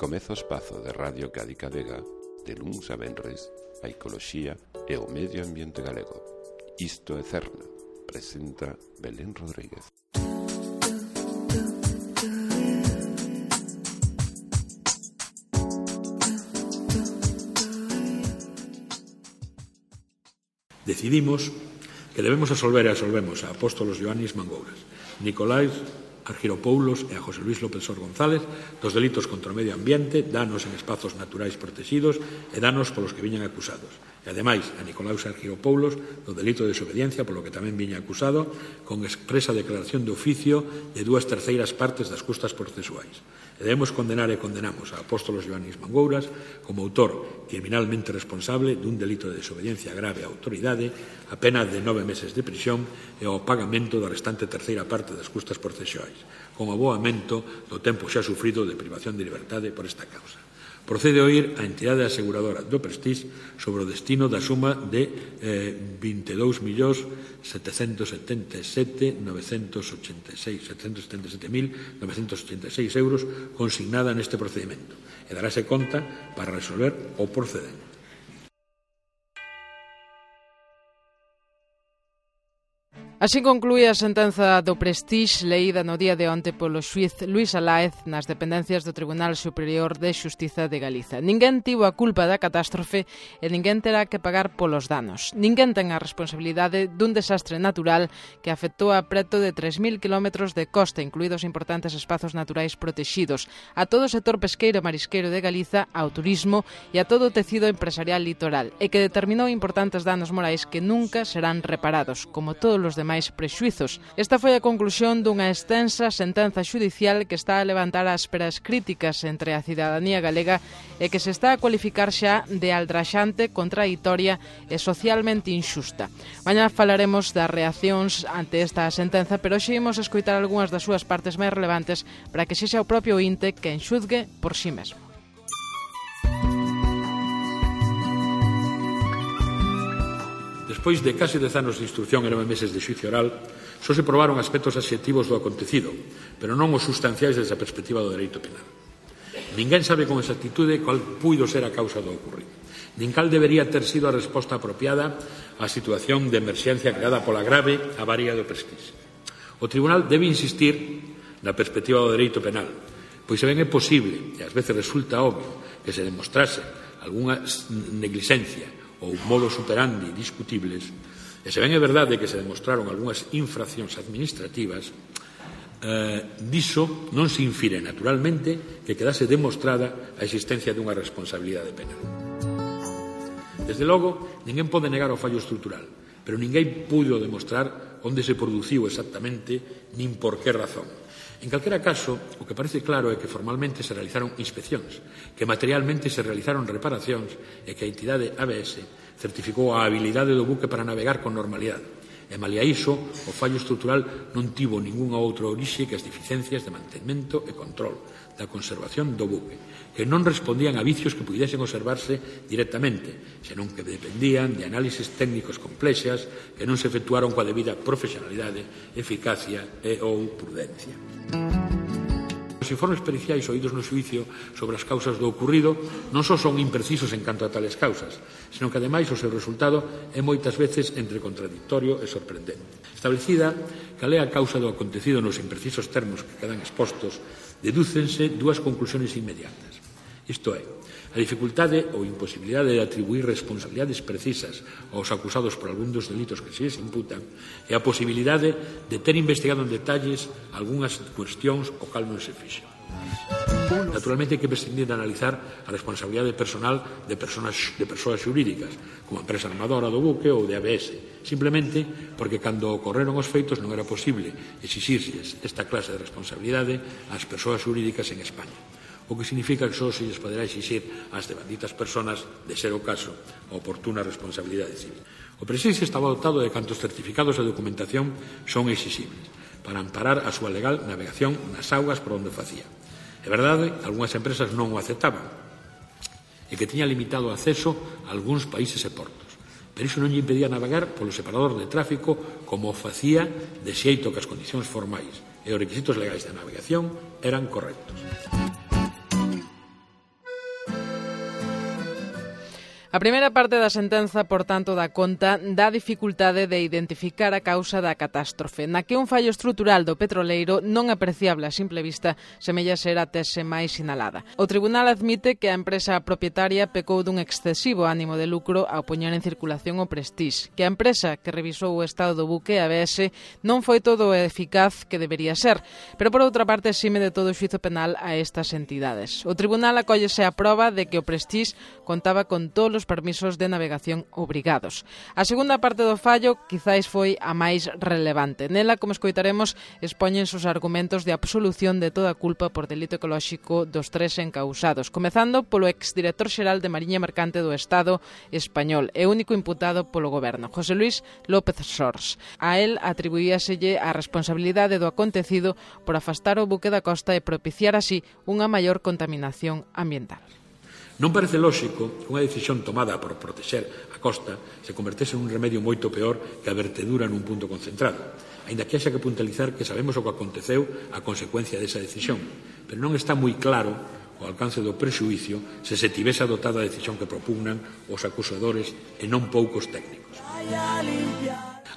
Comeza o espazo de Radio Cádica Vega de luns a venres a ecoloxía e o medio ambiente galego. Isto é Cerna, presenta Belén Rodríguez. Decidimos que debemos absolver e absolvemos a apóstolos Ioannis Mangouras, Nicolás Argiropoulos e a José Luis López Sor González dos delitos contra o medio ambiente, danos en espazos naturais protegidos e danos polos que viñan acusados. E, ademais, a Nicolás Argiropoulos do delito de desobediencia, polo que tamén viña acusado, con expresa declaración de oficio de 2/3 partes das custas procesuais. E debemos condenar e condenamos a apóstolos Ioannis Mangouras como autor criminalmente responsable dun delito de desobediencia grave á autoridade, a pena de 9 meses de prisión e ao pagamento da restante terceira parte das custas procesuais, con aboamento do tempo xa sufrido de privación de liberdade por esta causa. Procede a oír a entidade aseguradora do Prestige sobre o destino da suma de 22.777.986 euros consignada neste procedimento e daráse conta para resolver o procedente. Así conclúe a sentenza do Prestige leída no día de onte polo xuíz Luís Aláez nas dependencias do Tribunal Superior de Xustiza de Galiza. Ninguén tivo a culpa da catástrofe e ninguén terá que pagar polos danos. Ninguén ten a responsabilidade dun desastre natural que afectou a preto de 3.000 km de costa, incluídos importantes espazos naturais protexidos, a todo o sector pesqueiro e marisqueiro de Galiza, ao turismo e a todo o tecido empresarial litoral, e que determinou importantes danos morais que nunca serán reparados, como todos os demais prexuizos. Esta foi a conclusión dunha extensa sentenza xudicial que está a levantar as esperas críticas entre a cidadanía galega e que se está a cualificar xa de aldraxante, contraditoria e socialmente inxusta. Mañá falaremos das reaccións ante esta sentenza, pero hoxe imos escoitar algunhas das súas partes máis relevantes para que sexa o propio ointe quen xuzgue por si mesmo. Despois de case 10 anos de instrucción e 9 meses de xuicio oral, só se probaron aspectos adxectivos do acontecido, pero non os sustanciais desde a perspectiva do dereito penal. Ninguén sabe con exactitude cal puido ser a causa do ocurrido, nin cal debería ter sido a resposta apropiada á situación de emerxencia creada pola grave avaría do Prestige. O Tribunal debe insistir na perspectiva do dereito penal, pois se ben é posible, e ás veces resulta obvio, que se demostrase algunha negligencia ou modus operandi discutibles, e se ben é verdade que se demostraron algunhas infraccións administrativas, diso non se infire naturalmente que quedase demostrada a existencia dunha responsabilidade penal. Desde logo, ninguén pode negar o fallo estrutural, pero ninguén puido demostrar onde se produciu exactamente nin por que razón. En calquera caso, o que parece claro é que formalmente se realizaron inspeccións, que materialmente se realizaron reparacións e que a entidade ABS certificou a habilidade do buque para navegar con normalidade. E malia iso, o fallo estrutural non tivo ningunha outra orixe que as deficiencias de mantemento e control da conservación do buque, que non respondían a vicios que pudesen observarse directamente, senón que dependían de análises técnicos complexas que non se efectuaron coa debida profesionalidade, eficacia e ou prudencia. Os informes periciais oídos no xuicio sobre as causas do ocurrido non só son imprecisos en canto a tales causas, senón que, ademais, o seu resultado é moitas veces entre contradictorio e sorprendente. Establecida cal é a causa do acontecido nos imprecisos termos que quedan expostos, dedúcense dúas conclusiones inmediatas. Isto é, a dificultade ou imposibilidade de atribuir responsabilidades precisas aos acusados por algún dos delitos que se les imputan e a posibilidade de ter investigado en detalles algunhas cuestións o cal non se fixo. Naturalmente hai que prescindir de analizar a responsabilidade personal de persoas xurídicas, como a empresa armadora do buque ou de ABS, simplemente porque cando ocorreron os feitos non era posible exixirlles esta clase de responsabilidade ás persoas xurídicas en España, o que significa que só se lles poderá exixir ás devanditas persoas, de ser o caso, a oportuna responsabilidade civil. O Prestige estaba dotado de cantos certificados e documentación son exixibles para amparar a súa legal navegación nas augas por onde facía. É verdade, algunhas empresas non o aceptaban e que tiña limitado o acceso a algúns países e portos, pero iso non lle impedía navegar polo separador de tráfico como o facía de xeito que as condicións formais e os requisitos legais de navegación eran correctos. A primeira parte da sentenza, por tanto, dá conta da dificultade de identificar a causa da catástrofe, na que un fallo estrutural do petroleiro non apreciable a simple vista semella ser a tese máis sinalada. O tribunal admite que a empresa propietaria pecou dun excesivo ánimo de lucro ao poñer en circulación o Prestige, que a empresa que revisou o estado do buque, ABS, non foi todo o eficaz que debería ser, pero por outra parte exime de todo o xuízo penal a estas entidades. O tribunal acóllese a proba de que o Prestige contaba con todos os permisos de navegación obrigados. A segunda parte do fallo quizáis foi a máis relevante. Nela, como escoitaremos, expóñense os argumentos de absolución de toda culpa por delito ecolóxico dos tres encausados, comezando polo exdirector xeral de Mariña Mercante do Estado español e único imputado polo goberno, José Luis López Sors. A él atribuíaselle a responsabilidade do acontecido por afastar o buque da costa e propiciar así unha maior contaminación ambiental. Non parece lóxico que unha decisión tomada por protexer a costa se convertese en un remedio moito peor que a vertedura nun punto concentrado, aínda que haxa que puntualizar que sabemos o que aconteceu a consecuencia desa decisión, pero non está moi claro o alcance do prexuízo se tivese adoptado a decisión que propugnan os acusadores e non poucos técnicos.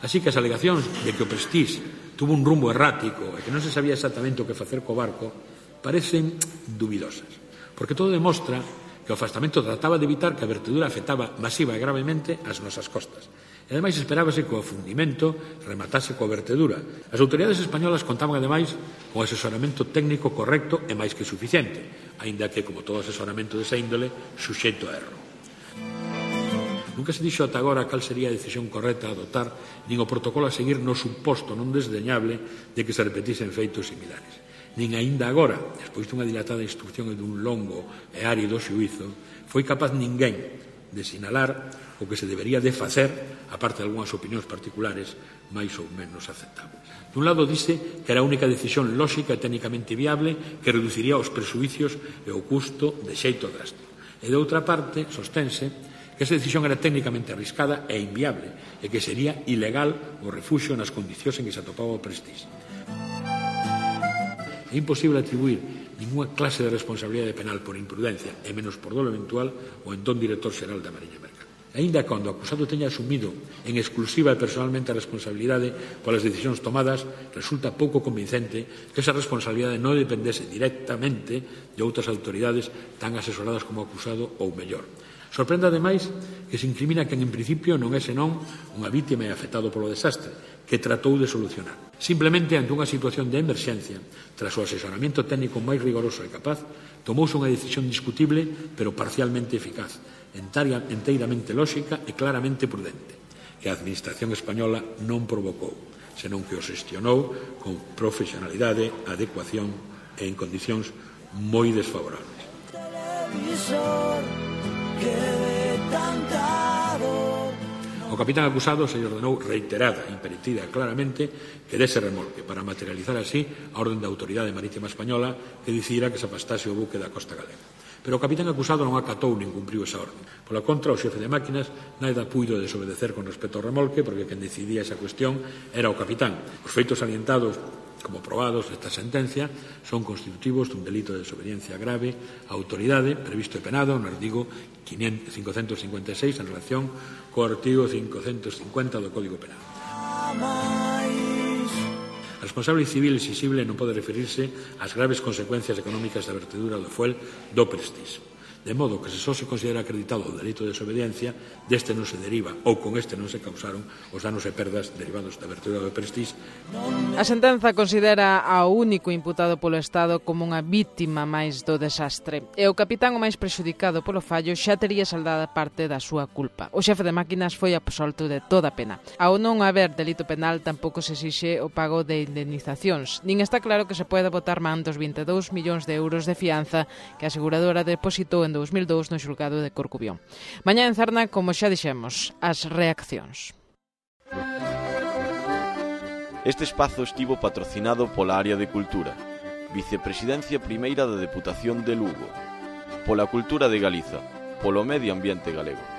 Así que as alegacións de que o Prestige tuvo un rumbo errático e que non se sabía exactamente o que facer co barco parecen dubidosas, porque todo demostra que o afastamento trataba de evitar que a vertedura afectaba masiva e gravemente as nosas costas. E, ademais, esperábase que o afundimento rematase coa vertedura. As autoridades españolas contaban, ademais, con asesoramento técnico correcto e máis que suficiente, aínda que, como todo asesoramento desa índole, suxeito a erro. Nunca se dixo ata agora cal sería a decisión correcta a adotar, nin o protocolo a seguir no suposto non desdeñable de que se repetisen feitos similares. Nin aínda agora, despois dunha dilatada instrucción e dun longo e árido xuízo, foi capaz ninguén de sinalar o que se debería de facer, aparte de algunhas opinións particulares máis ou menos aceptables. Dun lado, dice que era a única decisión lóxica e técnicamente viable que reduciría os prexuicios e o custo de xeito drástico. E, de outra parte, sostense que esa decisión era técnicamente arriscada e inviable e que sería ilegal o refuxio nas condicións en que se atopaba o Prestige. É imposible atribuir ninguna clase de responsabilidade penal por imprudencia, e menos por dolo eventual, o entón director xeral da Mariña Mercante. Aínda cando o acusado teña asumido en exclusiva e personalmente a responsabilidade polas decisións tomadas, resulta pouco convincente que esa responsabilidade non dependese directamente de outras autoridades tan asesoradas como o acusado ou mellor. Sorprende, ademais, que se incrimina quen en principio non é senón unha vítima e afectado polo desastre, que tratou de solucionar. Simplemente, ante unha situación de emerxencia, tras o asesoramento técnico máis rigoroso e capaz, tomouse unha decisión discutible, pero parcialmente eficaz, enteiramente lóxica e claramente prudente, que a Administración española non provocou, senón que o xestionou con profesionalidade, adecuación e en condicións moi desfavorables. O capitán acusado se lle ordenou reiterada, imperitida claramente que dese remolque para materializar así a orden da Autoridade Marítima Española que decidira que se afastase o buque da costa galega. Pero o capitán acusado non acatou nin cumpriu esa orden. Pola contra, o xefe de máquinas nada puido desobedecer con respecto ao remolque porque quen decidía esa cuestión era o capitán. Os feitos salientados como probados desta sentencia son constitutivos dun delito de desobediencia grave á autoridade previsto e penado no artigo 556 en relación co artigo 550 do Código Penal. A responsable civil exixible non pode referirse ás graves consecuencias económicas da vertedura do fuel do Prestige. De modo que se só se considera acreditado o delito de desobediencia, deste non se deriva ou con este non se causaron os danos e perdas derivados da vertedura do Prestige. A sentenza considera ao único imputado polo Estado como unha vítima máis do desastre e o capitán o máis prexudicado polo fallo xa tería saldada parte da súa culpa. O xefe de máquinas foi absolto de toda pena. Ao non haber delito penal tampouco se exixe o pago de indemnizacións, nin está claro que se poida botar man dos 22 millóns de euros de fianza que a aseguradora depositou en 2002 no xulgado de Corcubión. Mañá en Cerna, como xa dixemos, as reaccións. Este espazo estivo patrocinado pola Área de Cultura, Vicepresidencia Primeira da Deputación de Lugo, pola Cultura de Galiza, polo Medio Ambiente Galego.